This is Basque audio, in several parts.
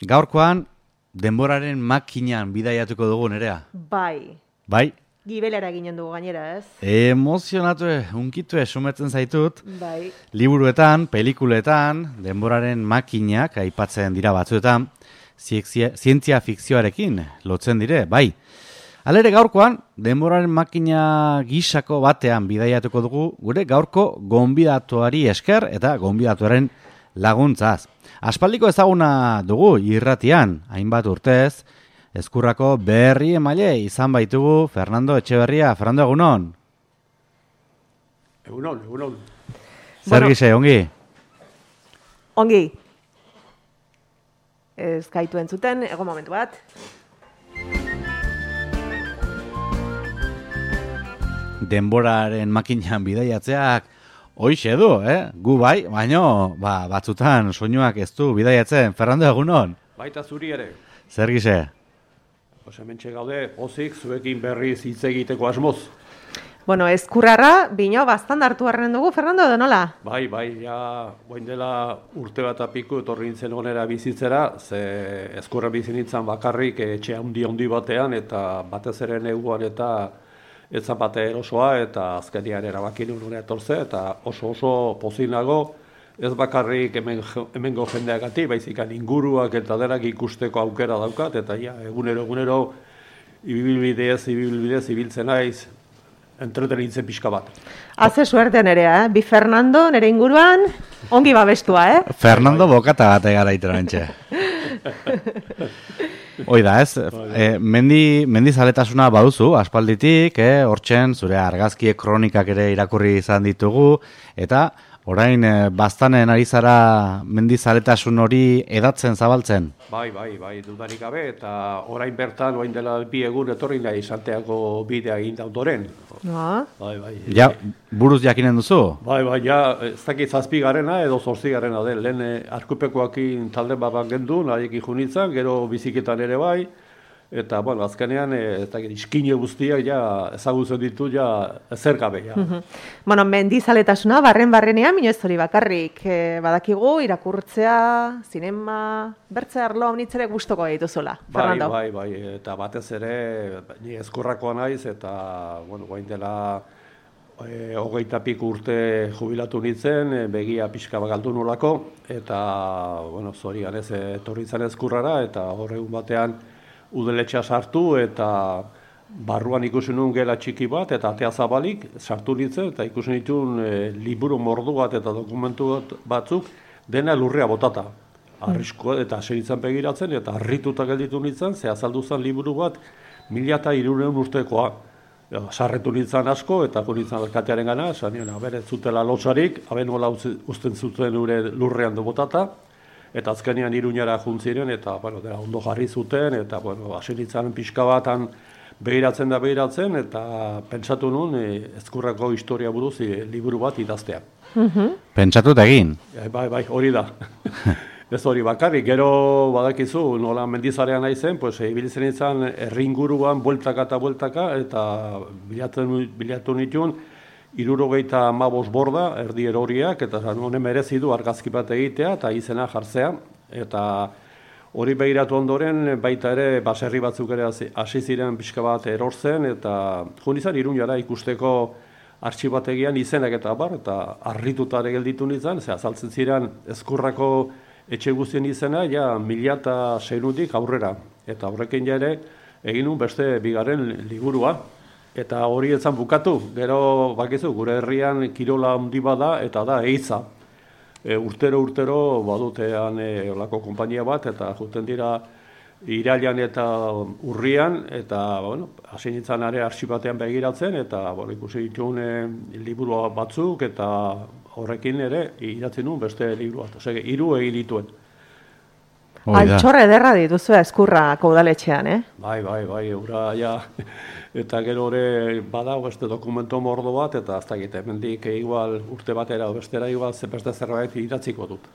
Gaurkoan, denboraren makinan bidaiatuko dugu, Nerea. Bai. Bai? Gibelera ginen dugu gainera, ez? Emozionatu, unkitu sumetzen zaitut. Bai. Liburuetan, pelikuletan, denboraren makinak aipatzen dira batzuetan, zientzia fikzioarekin lotzen dire, bai. Halere gaurkoan, denboraren makina gisako batean bidaiatuko dugu, gure gaurko gonbidatuari esker eta gonbidatuaren laguntzaz. Aspaldiko ezaguna dugu irratian, hainbat urtez, Ezkurrako berri emaile izan baitugu Fernando Etxeberria. Fernando, egunon? Egunon. Zer gise, ongi? Ongi. Ez gaitu entzuten, ego momentu bat. Denboraren makinan bidaiatzeak hoixe du, Gu bai, baino batzutan soinuak ez du bidaiatzen. Fernando, egunon? Baita zuri ere. Zer gise? Hementxe gaude, pozik, zuekin berriz hitz egiteko asmoz. Bueno, Ezkurrara, bino bastan hartu harren dugu, Fernando, edo nola? Bai, ja, guain dela urte bat apiku etorri nintzen onera bizitzera, ze Ezkurra bizi nintzen bakarrik etxe handi batean, eta batez ere neguan eta etzan bate erosoa, eta azkenian erabakin unera etorze, eta oso pozinago, ez bakarrik hemengo jendeagatik, baizikan inguruak eta denak ikusteko aukera daukat, eta ja, egunero ibilbidez ibiltzen naiz, entretenitzen pixka bat. Haze suerte Nerea, Bi Fernando, nere inguruan, ongi babestua, Fernando bokata bat egara iterantxe. Oida, ez? Mendi zaletasuna baduzu, aspalditik, hortzen, zure argazkie kronikak ere irakurri izan ditugu, eta orain, bastanen ari zara mendizaletasun hori edatzen, zabaltzen? Bai, dudarik gabe, eta orain bertan, orain dela bi egun etorri nahi Santiago bidea egin dautoren. Bai. Ja, buruz jakinen duzu? Bai, ja, ez dakit 7garrena edo 8garrena den, lehen arkupekoakin talde bat gendu, nahiek junitzen, gero biziketan ere bai, eta, bueno, azkenean, ez dakit, iskine guztiak, ja, ezagutzen ditu, ja, ezer gabe, ja. Bueno, mendizaletasuna, barrenean, minez hori bakarrik, badakigu, irakurtzea, zinema, bertze arlo honitzere gustoko dituzula, Fernando. Bai, eta batez ere, ni Ezkurrakoa naiz, eta, bueno, guain dela, 25 urte jubilatu nintzen, begia pixka galdu nolako, eta, bueno, zorian ez, etorri zen Ezkurrara, eta horregun batean, udaletxea sartu eta barruan ikusi nuen gela txiki bat eta atea zabalik sartu nintzen eta ikusi nituen liburu mordu bat eta dokumentu batzuk dena lurrea botata. Arriskoa eta segitzen begiratzen eta harrituta gelditu nintzen, ze azaldu zen liburu bat 1300 urtekoa. Sarretu nintzen asko eta nintzen alkatearen gana, esan bere zutela lotsarik, nola uzten zuten lurrean botata. Eta azkenean Iruñara juntziren, eta dela ondo jarri zuten, eta hasi nintzen pixka batan behiratzen, eta pentsatu nuen Ezkurrako historia buruz liburu bat idaztea. Pentsatut egin? Bai, hori da. Ez hori bakarrik, gero badakizu, nola mendizarean naizen, ibiltzen nintzen herringuruan bueltaka, eta bilatu nituen, 75 borda, erdi eroriak, eta honen merezi du argazki bat egitea, eta izena jartzea. Eta hori behiratu ondoren, baita ere, baserri batzuk ere hasi ziren pixka bat erortzen, eta izan Iruñara ikusteko artxibategian izenak eta harrituta ere gelditu nintzen, ze azaltzen ziren Ezkurrako etxe guztien izena, ja 1600-tik aurrera. Eta horrekin ere, egin nuen beste bigarren liburua. Eta hori etzan bukatu, gero bakizu, gure herrian kirola handi bada eta da eiza. Urtero badutean olako konpainia bat eta juten dira irailan eta urrian eta hasi nintzen ere artxibatean begiratzen eta ikusi dituen liburu batzuk eta horrekin ere idatzen nuen beste liburu bat. 3 egin dituen. Altxorre ederra dituzu Ezkurrako udaletxean, Bai, ura, ja, eta gero hori badago beste dokumento mordo bat, eta ez dakit, hemendik igual urte batera, bestera igual beste zerbait idatziko dut.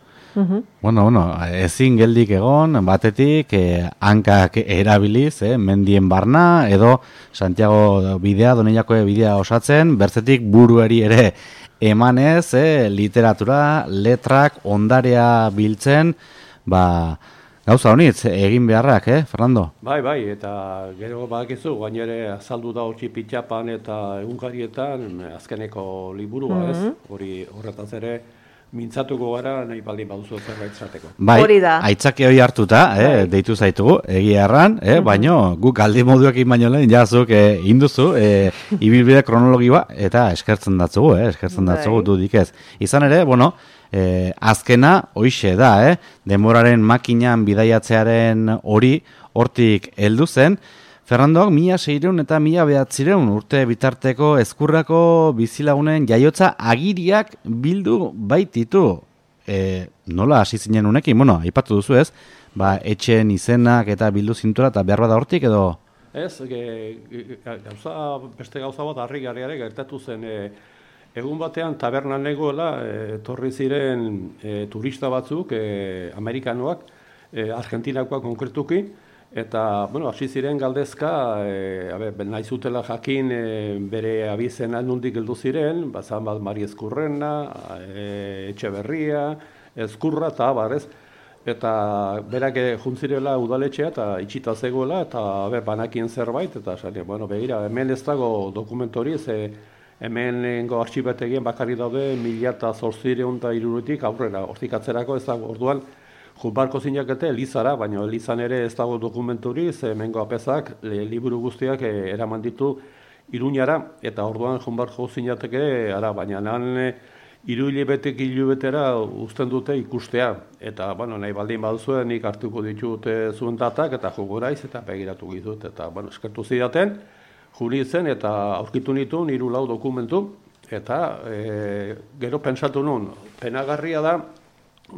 Bueno, ezin geldik egon, batetik, hankak erabiliz, mendien barna, edo Santiago bidea, Donejakue bidea osatzen, bertzetik buruari ere emanez, literatura, letrak, ondarea biltzen, Gauza honitz, egin beharrak, Fernando? Bai, eta gero badakizu, gainere azaldu da hori pitxapan eta egunkarietan azkeneko liburua, ez? Hori horretaz ere mintzatuko gara nahi baldin baduzu zerbait zateko. Bai, Hori da. aitzaki hori hartuta, deitu zaitugu, egia erran, baino guk aldi moduekin baino lehen jazuk induzu, ibilbide kronologioa, eta eskertzen datzugu, dudik ez. Izan ere, bueno, azkena hoixe da, denboraren makinan bidaiatzearen hori hortik heldu zen. Fernandok 1600 eta 1900 urte bitarteko ezkurrako bizilagunen jaiotza agiriak bildu baititu. Nola hasi zinen unekin? Bueno, aipatu duzu ez, etxeen izenak eta bildu zintura eta behar bada hortik edo? Ez, beste gauza bat harrigarriare gertatu zen. Egun batean tabernan negoela etorri ziren turista batzuk, amerikanoak, argentinakoak konkretuki, eta, bueno, hasi ziren galdezka, nahi zutela jakin bere abizena nondik heldu ziren, bazan bat Mari Ezkurrena, Etxeberria, Ezkurra eta abarez, eta berak juntzirela udaletxea eta itxita zegoela, eta banakien zerbait, eta bueno, begira, hemen ez dago dokumentori, hemenengo artxibategien bakarri daude 1860 aurrera, hortik atzerako ez dago, orduan, Junbarko zinakete Elizara, baina Elizan ere ez dago dokumenturi, hemengo apezak liburu guztiak eraman ditu Iruñara, eta orduan Junbarko zinateke ara, baina han hilabetera uzten dute ikustea, eta bueno, nahi baldin baduzuen nik hartuko ditut zuen datak, eta jogoraiz, eta begiratu gizut, eta bueno, eskertu zidaten, juri zen, eta aurkitu nituen 3-4 dokumentu, eta gero pentsatu nun, penagarria da,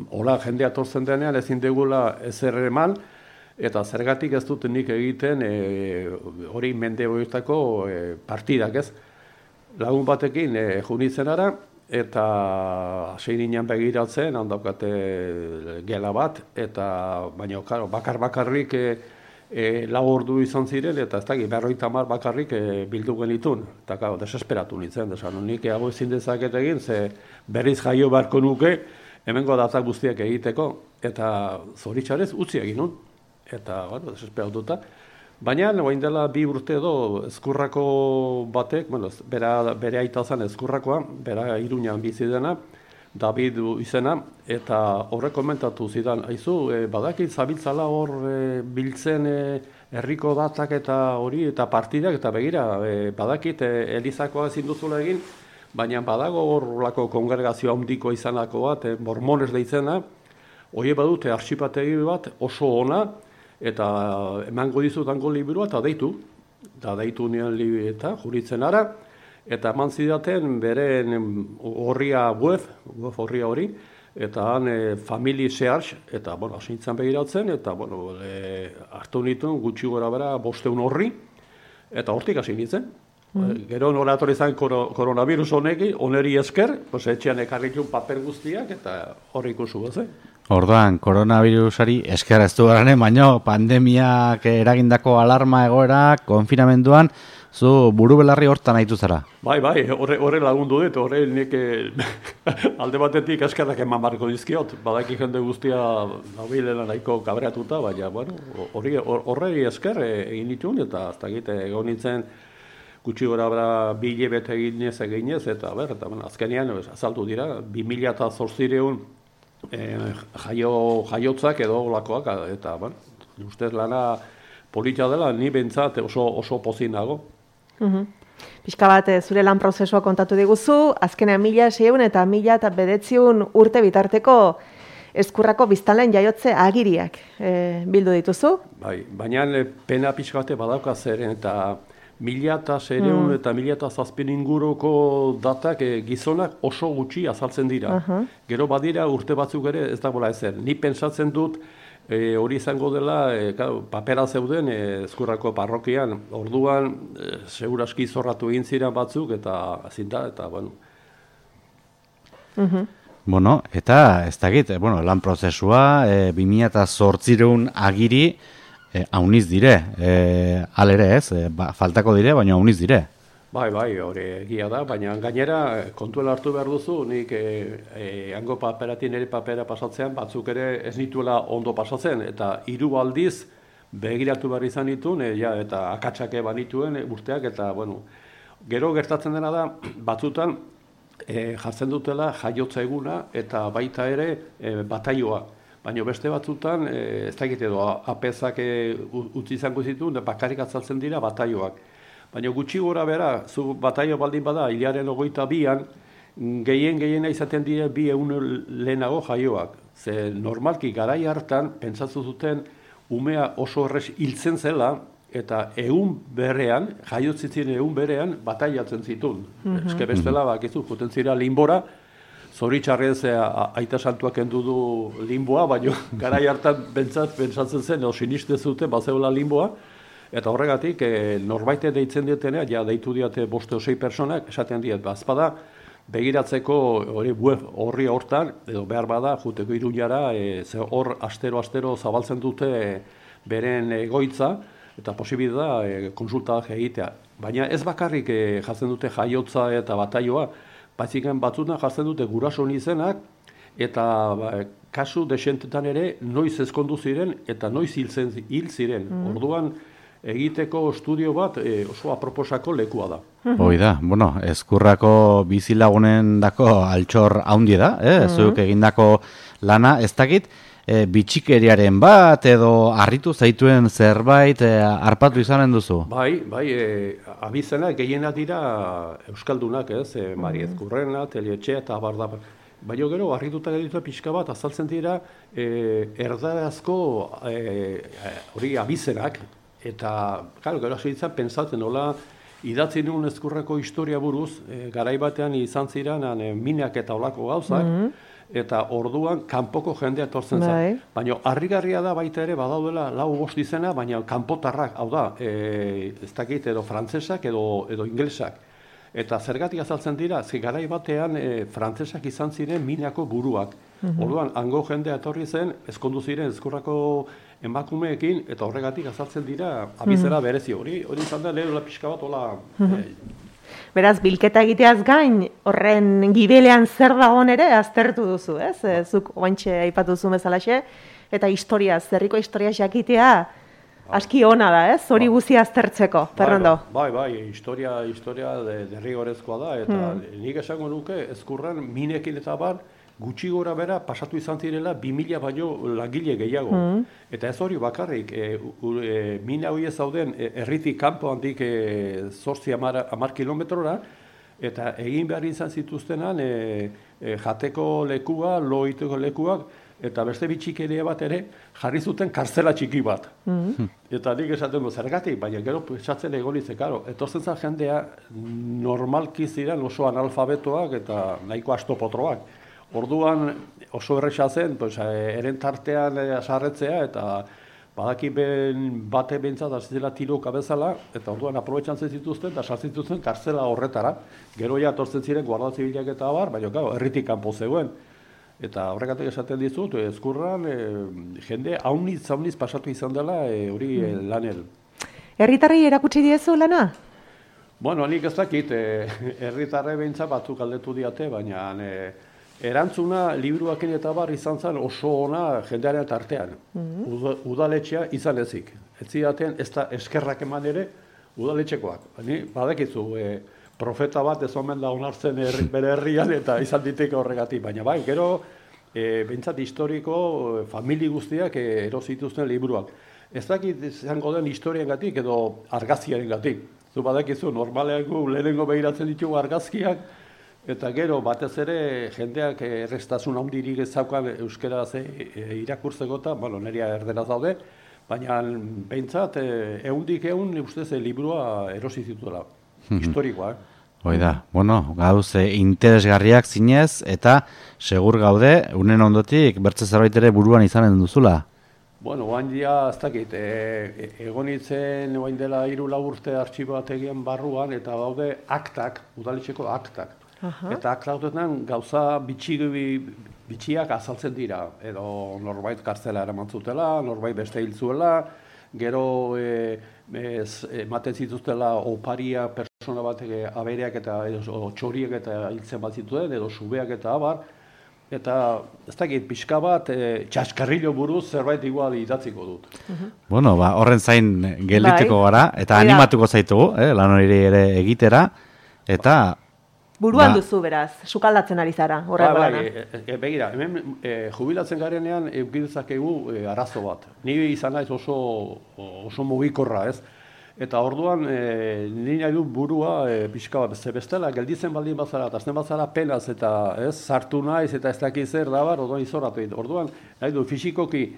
hola, jendea tortzen denean ezin degula ezer eman, eta zergatik ez dut nik egiten hori mende horietako partidak, ez? Lagun batekin junitzen ara, eta hasi ginen begiratzen, handaukate gela bat, eta baina bakarrik 4 ordu izan ziren, eta ez dakit 50 bakarrik bildu genitun, eta desesperatu nintzen, desan, nik hau ezin dezaket egin, ze berriz jaio beharko nuke, hemengo datak guztiak egiteko, eta zoritxarez utzi egin nun, eta, bueno, desesperatuta. Baina, orain dela 2 urte edo Ezkurrako batek, bueno, bere aita zen Ezkurrakoa, bera Iruñan bizi dena, David izena, eta horrek komentatu zidan, aizu, badakit zabiltzala hor biltzen herriko datak eta hori, eta partidak, eta begira, badakit Elizakoa ezin duzula egin, baina badago horrelako kongregazio handiko izanako bat, mormones deitzena, hori badute arxipategi bat oso ona, eta emango dizutango liburua, eta deitu nion eta juritzen ara, eta eman zidaten beren horria web horria hori, eta han family search, eta, bueno, asintzen begiratzen, eta, bueno, hartu nituen gutxi gora bera 500 horri, eta hortik hasi nintzen. Gero nola etorri izan koronavirus honeri esker, etxean ekarritun paper guztiak, eta horri ikusu bez, Orduan, koronavirusari esker ez du garanen, baina pandemiak eragindako alarma egoera, konfinamenduan, zu buru belarri hortan haitu zara. Bai, horre lagundu dut, horre nik alde batetik eskerrak eman barko dizkiot, badaki jende guztia nabilela nahiko kabreatuta, baina, bueno, horre esker egin ditun, eta ez dakit egon nintzen, gutxi gora bera 2 hilabete eginez, eta azkenean azaldu dira, 2008 jaiotzak edo olakoak, eta ustez lana polita dela, ni bentsat oso pozin nago. Pixka bat, zure lan prozesua kontatu diguzu, azkenean 1600 eta 1900 urte bitarteko Ezkurrako biztanleen jaiotze agiriak bildu dituzu? Bai, baina pena pixka bate badauka zeren, eta 1600 eta 1700 inguruko datak gizonak oso gutxi azaltzen dira. Gero badira urte batzuk ere ez dagoela ezer. Ni pentsatzen dut hori izango dela papera zeuden Ezkurrako parrokian. Orduan seguraski zorratu egin ziren batzuk eta zinda, eta bueno. Bueno, eta ez dakit, lan prozesua 2008 agiri, hauniz dire, alere ez, faltako dire, baina hauniz dire. Bai, hori egia da, baina gainera kontuela hartu behar duzu, nik hango paperatik nire papera pasatzean batzuk ere ez nituela ondo pasatzen, eta 3 aldiz begiratu behar izan dituen, eta akatsak banituen urteak, eta bueno, gero gertatzen dena da, batzutan jartzen dutela jaiotza eguna eta baita ere bataioa. Baina beste batzutan, ez dakit edo, apezak utzi izango zituen, bakarrik azaltzen dira bataioak. Baina gutxi gora bera, zu bataio baldin bada, hilaren 22an, gehien izaten dira 200 lehenago jaioak. Ze normalki garai hartan, pentsatu zuten, umea oso errez hiltzen zela, eta jaiotzitzen egun berean, bataiatzen zituen. Eske bestela, bakizu, juten zira linbora, zoritxarrez aita santuak kendu du limboa, baina garai hartan pentsatzen zen, edo siniste zuten, bazeula limboa, eta horregatik, norbaite deitzen dietenea, ja deitu diate 5 o 6 personak, esaten diet, bazpada, begiratzeko horri hortan, edo behar bada, juteko Iruñara, hor astero zabaltzen dute beren egoitza, eta posibil da konsultak egitea. Baina ez bakarrik jartzen dute jaiotza eta bataioa, baizik batzutan jartzen dute gurasoen izenak, eta kasu desentetan ere noiz ezkondu ziren eta noiz hil ziren. Orduan egiteko estudio bat oso aproposako lekua da. Hoi da, bueno, Ezkurrako bizilagunen dako altxor haundi da, zuek egindako lana, ez dakit, bitxikeriaren bat edo harritu zaituen zerbait harpatu izanen duzu? Bai, abizenak gehienak dira euskaldunak, Mari Ezkurrena, Telietxea eta abarda. Baina gero, harrituta geditu pixka bat, azaltzen dira erdarazko hori abizenak, eta, gero hasi pentsatzen, nola idatzi nuen Ezkurrako historia buruz, garai batean izan ziren minak eta olako gauzak, eta orduan kanpoko jendea etortzen zen. Baina harrigarria da baita ere badaudela 4-5 izena, baina kanpotarrak, hau da, ez dakit edo frantsesak edo inglesak. Eta zergatik azaltzen dira, garai batean frantsesak izan ziren minako buruak. Orduan, hango jendea etorri zen, ezkondu ziren Ezkurrako emakumeekin, eta horregatik azaltzen dira abizera berezi. Hori izan da lehela pixka bat, hola... Beraz, bilketa egiteaz gain, horren gibelean zer dagoen ere aztertu duzu, ez? Zuk oantxe aipatu duzu bezalaxe, eta herriko historia jakitea aski ona da, ez? Hori guzia aztertzeko, Fernando. Bai, historia derrigorezkoa da, eta nik esango nuke Ezkurran minekin eta bar, gutxi gora bera pasatu izan zirela 2000 baino langile gehiago. Eta ez hori bakarrik, mina hori ez zauden herritik kanpo handik 8-10 kilometrora, eta egin behar izan zituztenan jateko lekua, loiteko lekuak, eta beste bitxikeria bat ere jarri zuten kartzela txiki bat. Eta nik esaten zergatik, baina gero esatzen egonitzen, etortzen zen jendea normalki ziren oso analfabetoak eta nahiko astopotroak. Orduan oso erresa zen, eren tartean asarretzea eta badaki bate behintzat azizela tiroka bezala, eta orduan aprobetxan zituzten eta sartzituzten kartzela horretara. Gero ja etortzen ziren guarda zibilak eta abar, baina herritik kanpo zegoen. Eta horregatik esaten dizut, Ezkurran jende hauniz pasatu izan dela hori lanel. Herritarrei erakutsi diezu lana? Bueno, nik ez dakit, herritarre behintzat batzuk aldetu diate, baina erantzuna liburuakin eta bar izan zen oso ona jendearen tartean. Udaletxea izan ezik. Ez zidaten ez da eskerrak eman ere udaletxekoak. Badakizu, profeta bat ez omen da onartzen bere herrian eta izan diteke horregatik. Baina bai, gero behintzat historiko famili guztiak erosituzten liburuak. Ez dakit izango den historiengatik edo argazkiarengatik. Zu badakizu, normalean lehenengo behiratzen ditugu argazkiak, eta gero, batez ere, jendeak errestasun handirik ezaukan euskeraz irakurtzeko eta, neria erderaz daude, baina behintzat, ehundik ustez, liburua erosi zituela, historikoa. Hoi da, gauz interesgarriak zinez, eta segur gaude, unen ondotik, bertze zerbait ere buruan izanen duzula. Oain dia, ez dakit, egonitzen oain dela 3-4 urte artxibategian barruan, eta daude aktak, udaletxeko aktak. Eta aktautetan gauza bitxiak azaltzen dira, edo norbait kartzela eraman zutela, norbait beste hil zuela, gero ematen zituztela oparia persona batek abereak eta edo txoriek eta hiltzen bat zituen, edo subeak eta abar, eta ez dakit pixka bat txaskarrillo buruz zerbait igual idatziko dut. Bueno, horren zain geldituko gara, eta animatuko zaitugu, lan hori ere egitera, eta... Buruan duzu, beraz, sukaldatzen ari zara, horrego lana. Begira, hemen jubilatzen garenean eukidezakegu arazo bat. Ni izan naiz oso mugikorra, ez? Eta orduan, ni nahi du burua pixka bat bestela, gelditzen baldin bazara, eta azten bazara penaz, eta ez, sartu naiz, eta ez dakiz zer dabar, orduan izorratu egin. Orduan, nahi du fisikoki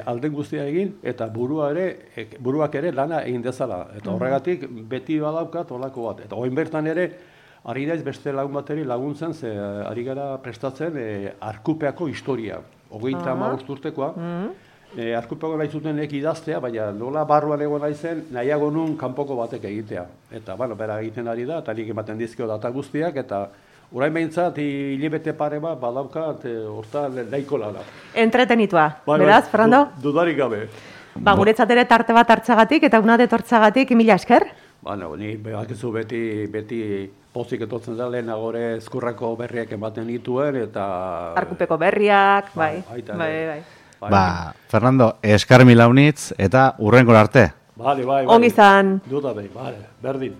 alden guztia egin, eta buruak ere lana egin dezala. Eta horregatik, beti badaukat olako bat. Eta oin bertan ere, ari naiz beste lagun bateri laguntzen, ze ari gara prestatzen Arkupeako historia. 35 urtekoa. Arkupeako nahi zuten idaztea, baina nola barruan egon naizen, nahiago nun kanpoko batek egitea. Eta, bera egiten ari da, eta nik ematen dizkio data guztiak, eta orain behintzat, hilabete pare bat, badaukat, hortan nahiko lana. Entretenitua, beraz, Fernando? Dudarik gabe. Guretzat ere tarte bat hartzagatik, eta una detortzagatik, mila esker? Ni behakizu beti pozik etortzen da lehenagore Ezkurrako berriak ematen dituen, eta... Arkupeko berriak, bai. Fernando, eskar mila unitz, eta urrenkor arte. Bai. Ongi zan. Duda berdin.